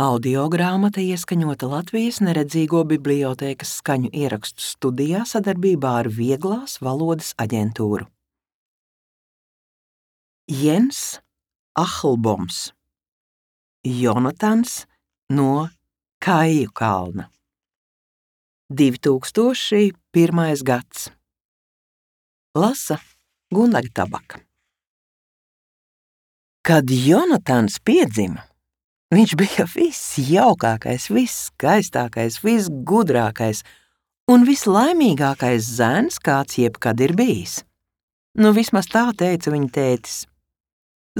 Audiogrāmata ieskaņota Latvijas Neredzīgo bibliotēkas skaņu ierakstu studijā sadarbībā ar Vieglās valodas aģentūru. Jens Ahlboms, Jonatans no Kaiju kalna. 2001. gads. Lasa Gundaga Tabaka. Kad Jonatans piedzima, viņš bija visjaukākais, visskaistākais, visgudrākais un vislaimīgākais zēns, kāds jebkad ir bijis. Nu, vismaz tā teica viņa tētis.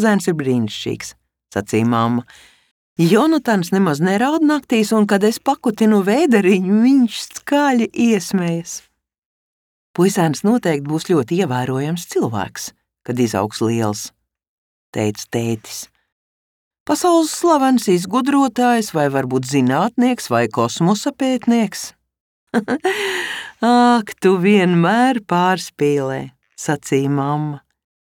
Zēns ir brīnišķīgs, sacīja mamma. Jonatans nemaz neraud naktīs, un kad es pakutinu vēderiņu, viņš skaļi iesmējas. Puisēns noteikti būs ļoti ievērojams cilvēks, kad izaugs liels, teica tētis. Pasaules slavens izgudrotājs vai varbūt zinātnieks vai kosmosa pētnieks? Ak, tu vienmēr pārspīlē, sacīja mamma.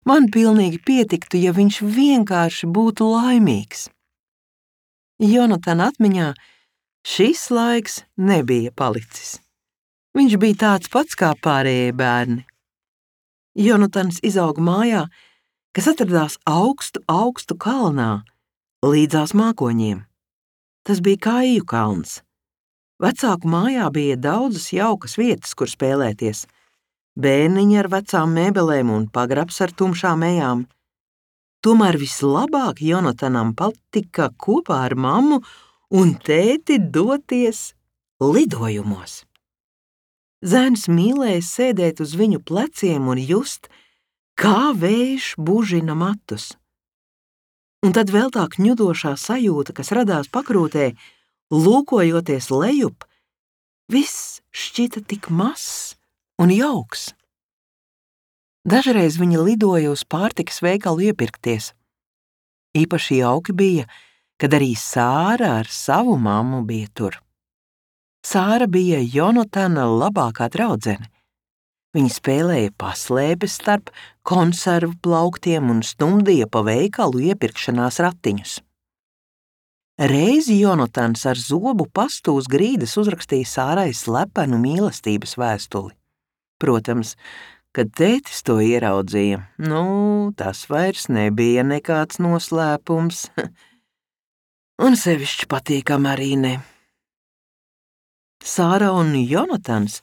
Man pilnīgi pietiktu, ja viņš vienkārši būtu laimīgs. Jonatana atmiņā šis laiks nebija palicis. Viņš bija tāds pats kā pārējie bērni. Jonatans izauga mājā, kas atradās augstu kalnā, līdzās mākoņiem. Tas bija Kaiju kalns. Vecāku mājā bija daudzas jaukas vietas, kur spēlēties. Bērniņi ar vecām mēbelēm un pagrabs ar tumšām ejām. Tomēr vislabāk Jonatanam patika kopā ar mammu un tēti doties lidojumos. Zēns mīlēja sēdēt uz viņu pleciem un just, kā vējš bužina matus. Un tad vēl tā kņudošā sajūta, kas radās pakrūtē, lūkojoties lejup, viss šķita tik mazs un jauks. Dažreiz viņa lidoja uz pārtikas veikalu iepirkties. Īpaši jauki bija, kad arī Sāra ar savu mammu bija tur. Sāra bija Jonatana labākā draudzene. Viņa spēlēja paslēpes starp konservu plauktiem un stumdīja pa veikalu iepirkšanās ratiņus. Reizi Jonatans ar zobu pastu uz grīdas uzrakstīja Sārai slepenu mīlestības vēstuli. Protams, kad tētis to ieraudzīja, tas vairs nebija nekāds noslēpums. Un sevišķi patīkam arī ne. Sāra un Jonatans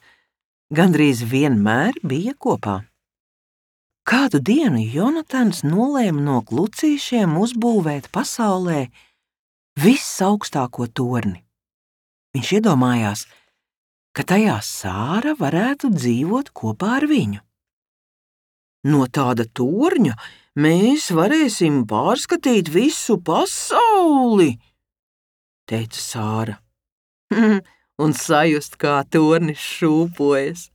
gandrīz vienmēr bija kopā. Kādu dienu Jonatans nolēma no klucīšiem uzbūvēt pasaulē visaugstāko torni. Viņš iedomājās, ka tajā Sāra varētu dzīvot kopā ar viņu. No tāda torņa mēs varēsim pārskatīt visu pasauli, teica Sāra. Un sajust, kā tornis šūpojas.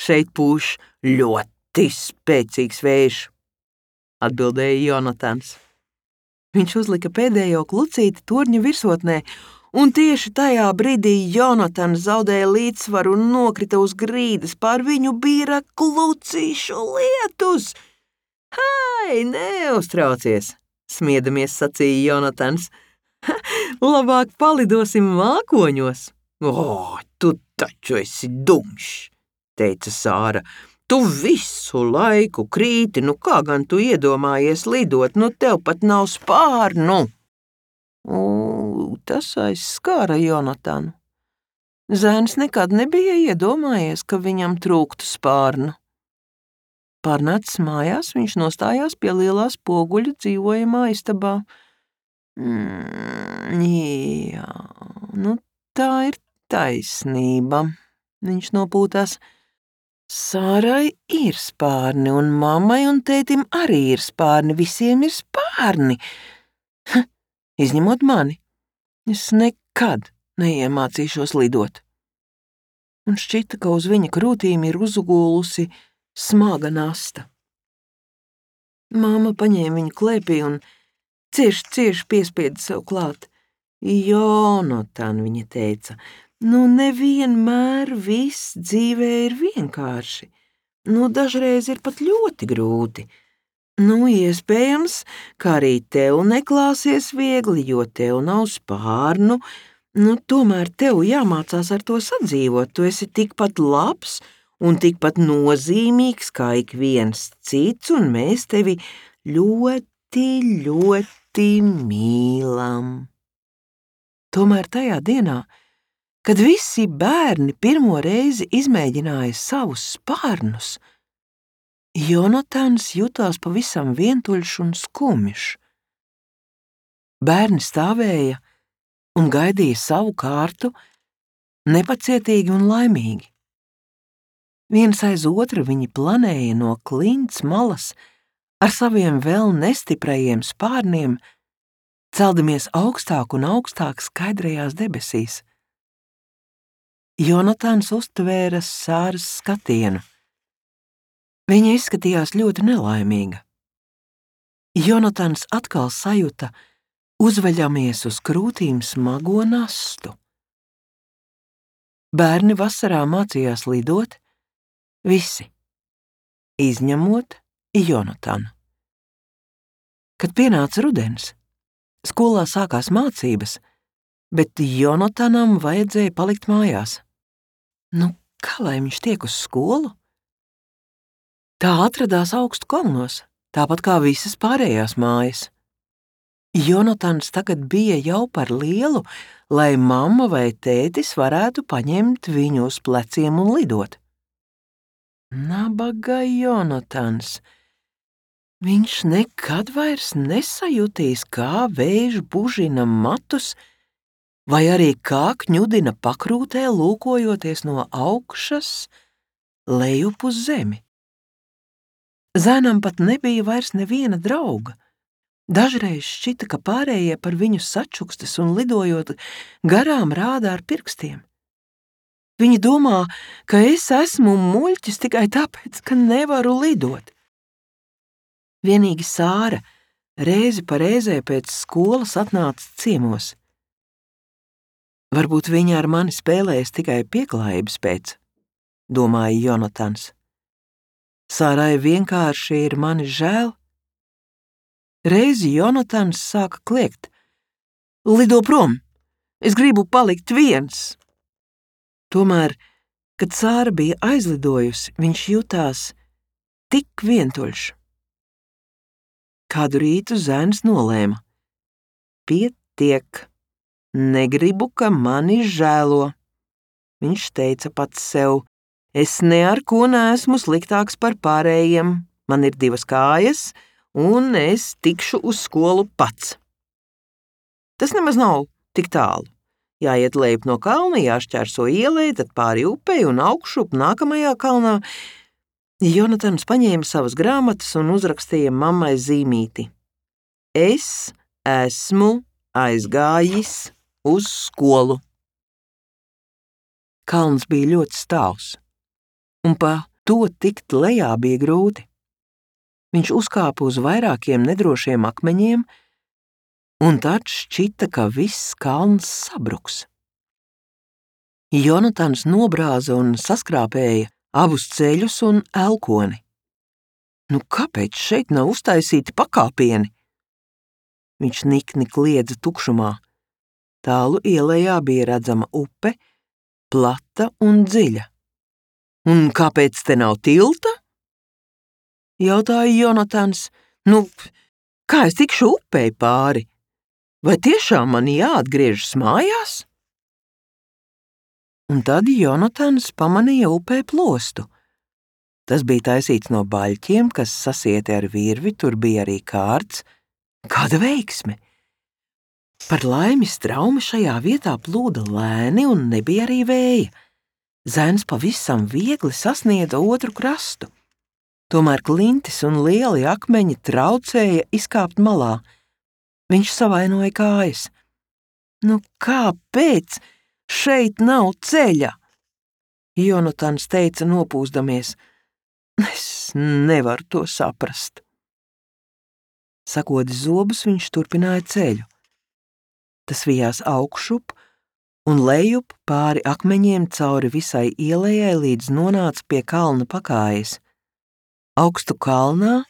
Šeit pūš ļoti spēcīgs vējš, atbildēja Jonatans. Viņš uzlika pēdējo klucīti torņa virsotnē, un tieši tajā brīdī Jonatans zaudēja līdzsvaru un nokrita uz grīdas. Pār viņu bīra klucīšu lietus. Hai, neuztraucies, smiedamies sacīja Jonatans. Labāk palidosim mākoņos. Tu taču esi dumšs, teica Sāra. Tu visu laiku krīti, kā gan tu iedomājies lidot, tev pat nav spārnu. Tas aizskāra Jonatanu. Zēns nekad nebija iedomājies, ka viņam trūktu spārnu. Pārnācis mājās, viņš nostājās pie lielā spoguļa dzīvojamā istabā. Jā, tā ir taisnība. Viņš nopūtās. Sārai ir spārni, un mammai un tētim arī ir spārni. Visiem ir spārni. Izņemot mani. Es nekad neiemācīšos lidot. Un šķita, ka uz viņa krūtīm ir uzgulusi smaga nasta. Māma paņēma viņu klēpī un cieši piespieda sev klāt. Jonatan, viņa teica, nevienmēr viss dzīvē ir vienkārši. Dažreiz ir pat ļoti grūti. Nu, iespējams, ka arī tev neklāsies viegli, jo tev nav spārnu. Tomēr tev jāmācās ar to sadzīvot. Tu esi tikpat labs un tikpat nozīmīgs kā ik viens cits, un mēs tevi ļoti, ļoti mīlam. Tomēr tajā dienā, kad visi bērni pirmo reizi izmēģināja savus spārnus, Jonatans jutās pavisam vientuļš un skumjš. Bērni stāvēja un gaidīja savu kārtu, nepacietīgi un laimīgi. Viens aiz otru viņi planēja no klints malas ar saviem vēl nestiprajiem spārniem, celdamies augstāk un augstāk skaidrajās debesīs. Jonatans uztvēra Sāras skatienu. Viņa izskatījās ļoti nelaimīga. Jonatans atkal sajuta uzveļamies uz krūtīm smago nastu. Bērni vasarā mācījās lidot, visi, izņemot Jonatanu. Kad pienāca rudens, skolā sākās mācības, bet Jonatanam vajadzēja palikt mājās. Kā lai viņš tiek uz skolu? Tā atradās augstu kalnos, tāpat kā visas pārējās mājas. Jonatans tagad bija jau par lielu, lai mamma vai tētis varētu paņemt viņu uz pleciem un lidot. Nabaga Jonatans. Viņš nekad vairs nesajutīs, kā vējš bužina matus, vai arī kā kņudina pakrūtē, lūkojoties no augšas lejup uz zemi. Zēnam pat nebija vairs neviena drauga. Dažreiz šķita, ka pārējie par viņu sačukstas un lidojot garām rāda ar pirkstiem. Viņi domā, ka es esmu muļķis tikai tāpēc, ka nevaru lidot. Vienīgi Sāra reizi pa reizē pēc skolas atnāca ciemos. Varbūt viņa ar mani spēlējas tikai pieklājības pēc, domāja Jonatans. Sārai vienkārši ir mani žēl. Reizi Jonatans sāka kliegt. Lido prom! Es gribu palikt viens! Tomēr, kad Sāra bija aizlidojusi, viņš jutās tik vientuļš. Kādu rītu zēns nolēma. Pietiek! Negribu, ka mani žēlo. Viņš teica pats sev. Es ne ar ko neesmu sliktāks par pārējiem. Man ir 2 kājas, un es tikšu uz skolu pats. Tas nemaz nav tik tālu. Jāiet lejup no kalna, jāšķērso ielai, tad pāri upei un augšup nākamajā kalnā. Jonatans paņēma savas grāmatas un uzrakstīja mammai zīmīti. Es esmu aizgājis uz skolu. Kalns bija ļoti stāvs, un pa to tikt lejā bija grūti. Viņš uzkāpa uz vairākiem nedrošiem akmeņiem, un tad šķita, ka viss kalns sabruks. Jonatans nobrāza un saskrāpēja abus ceļus un elkoni. Kāpēc šeit nav uztaisīti pakāpieni? Viņš nikni kliedza tukšumā. Tālu ielejā bija redzama upe, plata un dziļa. Un kāpēc te nav tilta? Jautāja Jonatans. Kā es tikšu upei pāri? Vai tiešām man jāatgriežas mājās? Un tad Jonatans pamanīja upē plostu. Tas bija taisīts no baļķiem, kas sasieti ar virvi, tur bija arī kārts. Kāda veiksme! Par laimi straumi šajā vietā plūda lēni un nebija arī vēja. Zēns pavisam viegli sasniedza otru krastu. Tomēr klintis un lieli akmeņi traucēja izkāpt malā. Viņš savainoja kājas. Kāpēc šeit nav ceļa? Jonatans teica nopūsdamies. Es nevaru to saprast. Sakodis zobus, viņš turpināja ceļu. Tas vijās augšup un lejup pāri akmeņiem cauri visai ielejai, līdz nonāca pie kalna pakājas. Augstu kalnā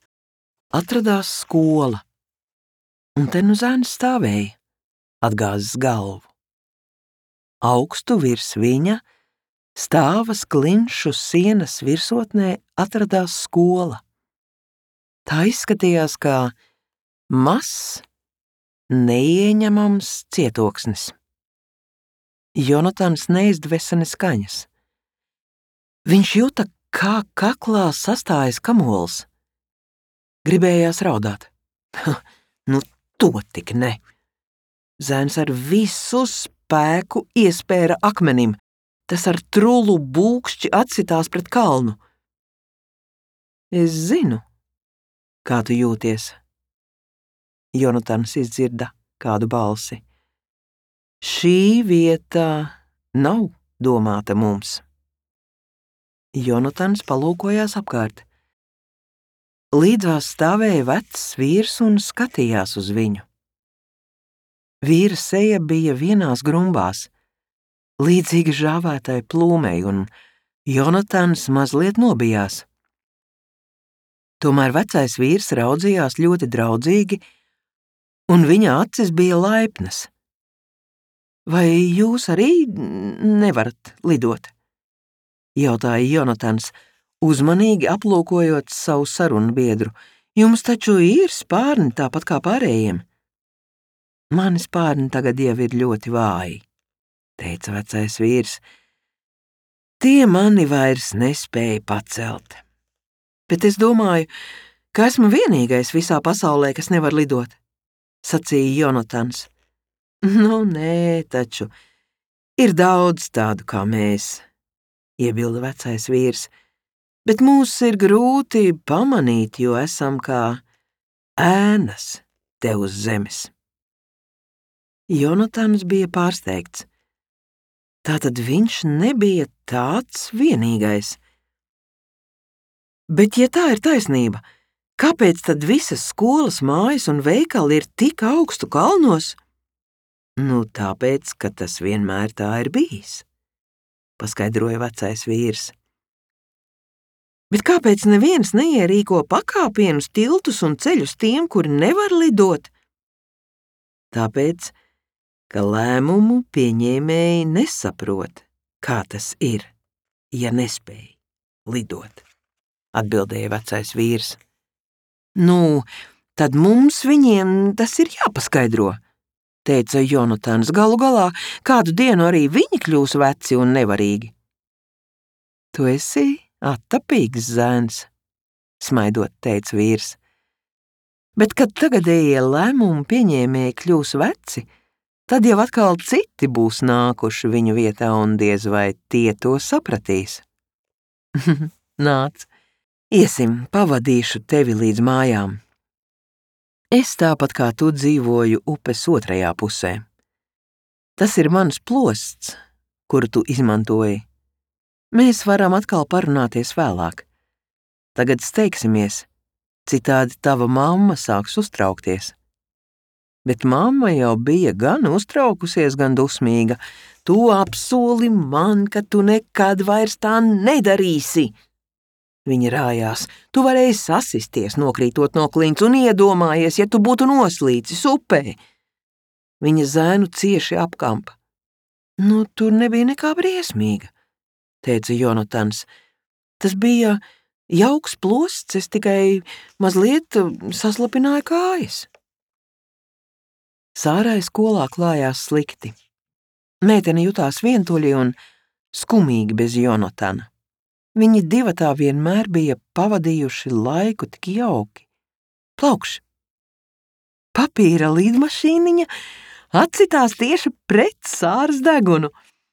atradās skola, un te nu zēns stāvēja, atgāzis galvu. Augstu virs viņa, stāvas klinšu sienas virsotnē, atradās skola. Tā izskatījās kā mazs, neieņemams cietoksnis. Jonatans neizdvesa ne skaņas. Viņš jūta, kā kaklā sastājas kamols. Gribējās raudāt. Nu, to tik ne. Zēns ar visu spēku iespēra akmenim. Tas ar trulu būkšķi atsitās pret kalnu. Es zinu, kā tu jūties. Jonatans izdzirda kādu balsi. Šī vieta nav domāta mums. Jonatans palūkojās apkārt. Līdzās stāvēja vecs vīrs un skatījās uz viņu. Vīra seja bija vienās grumbās, līdzīga žāvētai plūmei, un Jonatans mazliet nobijās. Tomēr vecais vīrs raudzījās ļoti draudzīgi, un viņa acis bija laipnas. Vai jūs arī nevarat lidot? Jautāja Jonatans, uzmanīgi aplūkojot savu sarunbiedru. Jums taču ir spārni tāpat kā pārējiem. Mani spārni tagad jau ir ļoti vāji, teica vecais vīrs. Tie mani vairs nespēja pacelt. Bet es domāju, ka esmu vienīgais visā pasaulē, kas nevar lidot, sacīja Jonatans. Nu, nē, taču ir daudz tādu kā mēs, iebilda vecais vīrs, bet mūs ir grūti pamanīt, jo esam kā ēnas te uz zemes. Jonatans bija pārsteigts. Tātad viņš nebija tāds vienīgais. Bet, ja tā ir taisnība, kāpēc tad visas skolas, mājas un veikali ir tik augstu kalnos? Nu, tāpēc, ka tas vienmēr tā ir bijis, paskaidroja vecais vīrs. Bet kāpēc neviens neierīko pakāpienus, tiltus un ceļus tiem, kuri nevar lidot? Tāpēc, ka lēmumu pieņēmēji nesaprot, kā tas ir, ja nespēj lidot, atbildēja vecais vīrs. Nu, tad mums viņiem tas ir jāpaskaidro, teica Jonatans. Galu galā, kādu dienu arī viņi kļūs veci un nevarīgi. Tu esi attapīgs zēns, smaidot, teica vīrs. Bet, kad tagadējie lēmumu pieņēmēji kļūs veci, tad jau atkal citi būs nākuši viņu vietā un diez vai tie to sapratīs. Nāc, iesim, pavadīšu tevi līdz mājām. Es tāpat kā tu dzīvoju upes otrajā pusē. Tas ir mans plosts, kuru tu izmantoji. Mēs varam atkal parunāties vēlāk. Tagad steigsimies, citādi tava mamma sāks uztraukties. Bet mamma jau bija gan uztraukusies, gan dusmīga. Tu apsoli man, ka tu nekad vairs tā nedarīsi. Viņa rājās. Tu varēji sasisties, nokrītot no klints, un iedomājies, ja tu būtu noslīcis upē. Viņa zēnu cieši apkampa. Nu, tur nebija nekā briesmīga, teica Jonatans. Tas bija jauks plosts, es tikai mazliet saslapināju kājas. Sārai skolā klājās slikti. Meitene jutās vientuļi un skumīgi bez Jonatana. Viņi divatā vienmēr bija pavadījuši laiku tik jauki. Plaukš! Papīra lidmašīniņa atsitās tieši pret Sāras degunu.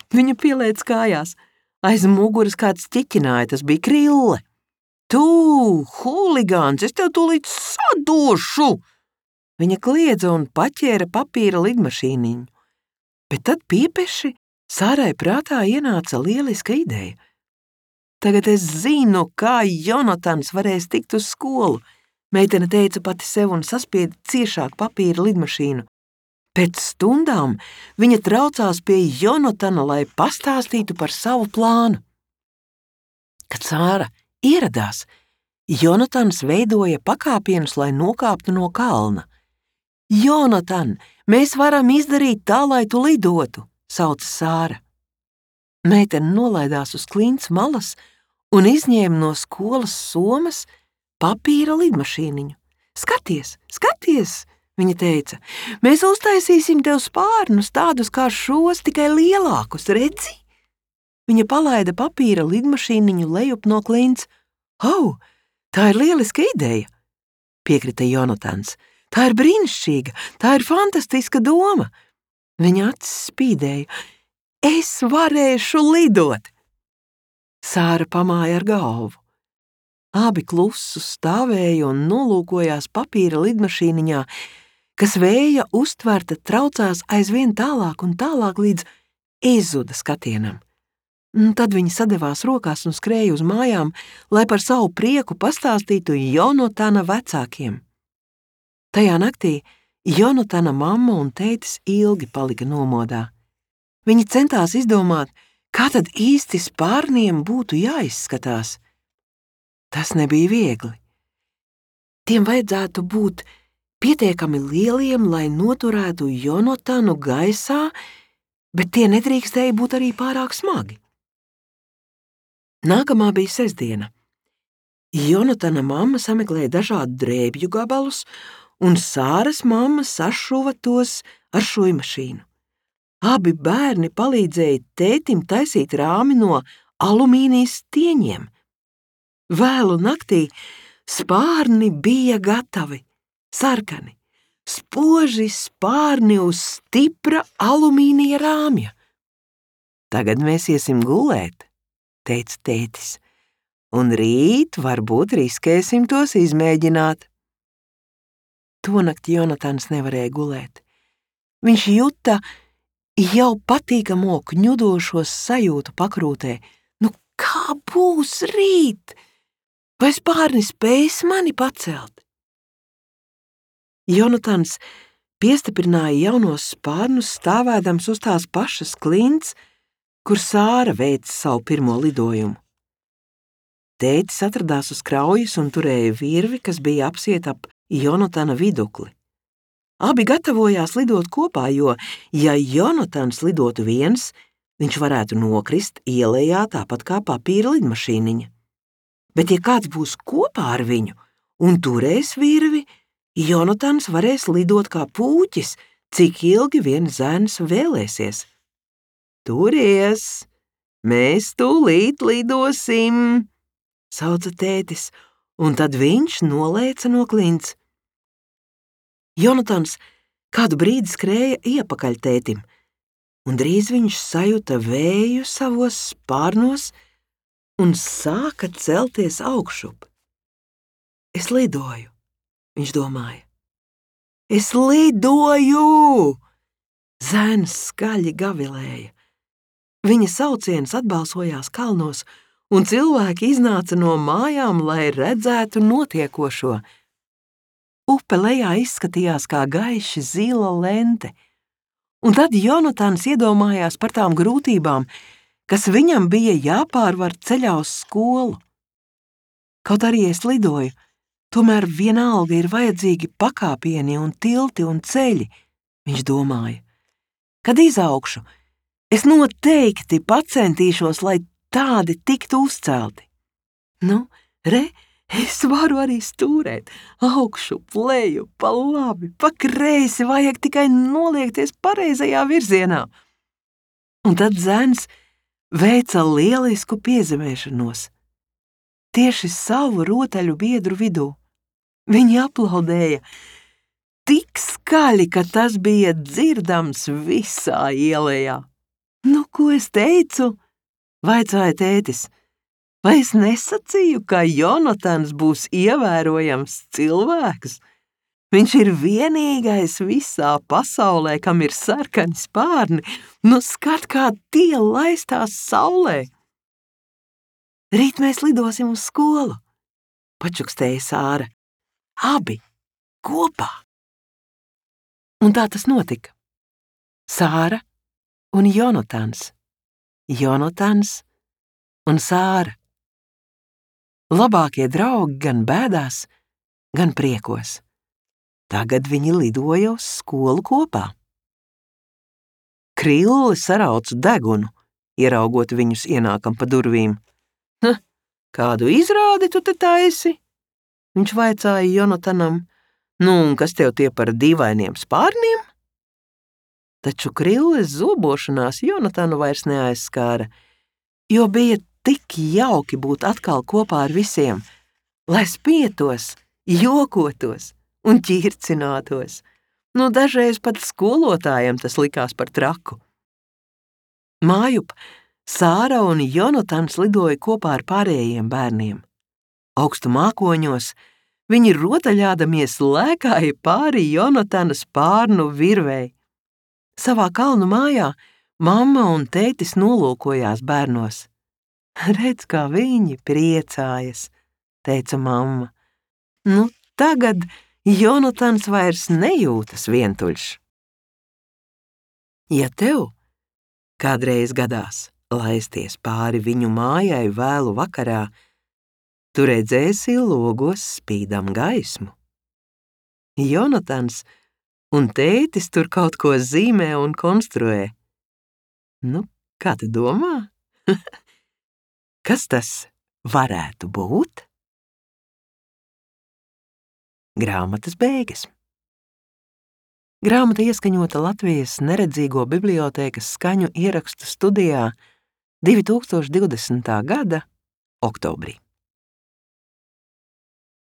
Viņa pielēc kājās. Aiz muguras kāds ķiķināja, tas bija Krille. Tu, huligāns, es tev tūlīt sadošu! Viņa kliedza un paķēra papīra lidmašīniņu. Bet tad piepeši Sārai prātā ienāca lieliska ideja. Tagad es zinu, kā Jonatans varēs tikt uz skolu, meitene teica pati sev un saspieda ciešāk papīra lidmašīnu. Pēc stundām viņa traucās pie Jonatana, lai pastāstītu par savu plānu. Kad Sāra ieradās, Jonatans veidoja pakāpienus, lai nokāptu no kalna. Jonatan, mēs varam izdarīt tā, lai tu lidotu, sauca Sāra. Meitene nolaidās uz klints malas un izņēma no skolas somas papīra lidmašīniņu. Skaties, skaties, viņa teica, mēs uztaisīsim tev spārnus tādus kā šos, tikai lielākus, redzi? Viņa palaida papīra lidmašīniņu lejup no klints. Au, tā ir lieliska ideja, piekrita Jonatans. Tā ir brīnišķīga, tā ir fantastiska doma. Viņa acis spīdēja. Es varēšu lidot! Sāra pamāja ar galvu. Abi klusu stāvēja un nolūkojās papīra lidmašīniņā, kas vēja uztverta traucās aizvien tālāk un tālāk līdz izzuda skatienam. Tad viņi sadevās rokās un skrēja uz mājām, lai par savu prieku pastāstītu Jonatana vecākiem. Tajā naktī Jonatana mamma un tētis ilgi palika nomodā. Viņi centās izdomāt, kā tad īsti spārniem būtu jāizskatās. Tas nebija viegli. Tiem vajadzētu būt pietiekami lieliem, lai noturētu Jonatanu gaisā, bet tie nedrīkstēja būt arī pārāk smagi. Nākamā bija sestdiena. Jonatana mamma sameklēja dažādu drēbju gabalus, un Sāras mamma sašuva tos ar šujmašīnu. Abi bērni palīdzēja tētim taisīt rāmi no alumīnijas stieņiem. Vēlu naktī spārni bija gatavi, sarkani, spoži spārni uz stipra alumīnija rāmja. Tagad mēs iesim gulēt, teica tētis, un rīt varbūt riskēsim tos izmēģināt. Tonakt Jonatans nevarēja gulēt. Viņš juta jau patīkamo kņudošos sajūtu pakrūtē. Nu, kā būs rīt? Vai spārni spēs mani pacelt? Jonatans piestiprināja jaunos spārnus stāvēdams uz tās pašas klints, kur Sāra veica savu pirmo lidojumu. Tētis atradās uz kraujas un turēja virvi, kas bija apsieta ap Jonatana vidukli. Abi gatavojās lidot kopā, jo, ja Jonatans lidotu viens, viņš varētu nokrist ielējā tāpat kā papīra lidmašīniņa. Bet ja kāds būs kopā ar viņu un turēs virvi, Jonatans varēs lidot kā pūķis, cik ilgi vien zēns vēlēsies. Turies, mēs tūlīt lidosim, sauca tētis, un tad viņš nolēca no klints. Jonatans kādu brīdi skrēja iepakaļ tētim, un drīz viņš sajuta vēju savos spārnos un sāka celties augšup. Es lidoju, viņš domāja. Es lidoju! Zēns skaļi gavilēja. Viņa sauciens atbalsojās kalnos, un cilvēki iznāca no mājām, lai redzētu notiekošo. Upe lejā izskatījās kā gaiši zila lente, un tad Jonatans iedomājās par tām grūtībām, kas viņam bija jāpārvar ceļā uz skolu. Kaut arī es lidoju, tomēr vienalga ir vajadzīgi pakāpieni un tilti un ceļi, viņš domāja. Kad izaugšu, es noteikti pacentīšos, lai tādi tiktu uzcelti. Nu, re, es varu arī stūrēt, augšu, leju, pa labi, pa kreisi, vajag tikai noliekties pareizajā virzienā. Un tad zēns veica lielisku piezemēšanos. Tieši savu rotaļu biedru vidū. Viņi aplaudēja tik skaļi, ka tas bija dzirdams visā ielējā. Nu, ko es teicu? Vaicāja tētis. Vai es nesacīju, ka Jonatans būs ievērojams cilvēks? Viņš ir vienīgais visā pasaulē, kam ir sarkani spārni. Nu, skat, kā tie laistās saulē. Rīt mēs lidosim uz skolu, pačukstēja Sāra. Abi kopā. Un tā tas notika. Sāra un Jonatans. Jonatans un Sāra. Labākie draugi gan bēdās, gan priekos. Tagad viņi lidoja uz skolu kopā. Krille sarauca degunu, ieraugot viņus ienākam pa durvīm. Kādu izrādi tu te taisi? Viņš vaicāja Jonatanam. Un kas tev tie par dīvainiem spārniem? Taču Krilles zobošanās Jonatanu vairs neaizskāra, jo bija tik jauki būt atkal kopā ar visiem, lai spietos, jokotos un ķircinātos. Dažreiz pat skolotājiem tas likās par traku. Mājup Sāra un Jonatans lidoja kopā ar pārējiem bērniem. Augstu mākoņos viņi rotaļādamies lēkāja pāri Jonatana spārnu virvei. Savā kalnu mājā mamma un tētis nolūkojās bērnos. Redz, kā viņi priecājas, teica mamma. Tagad Jonatans vairs nejūtas vientuļš. Ja tev kādreiz gadās laisties pāri viņu mājai vēlu vakarā, tu redzēsi logos spīdam gaismu. Jonatans un tētis tur kaut ko zīmē un konstruē. Kā tu domā? Kas tas varētu būt? Grāmatas beigas. Grāmata ieskaņota Latvijas Neredzīgo bibliotēkas skaņu ierakstu studijā 2020. gada oktobrī.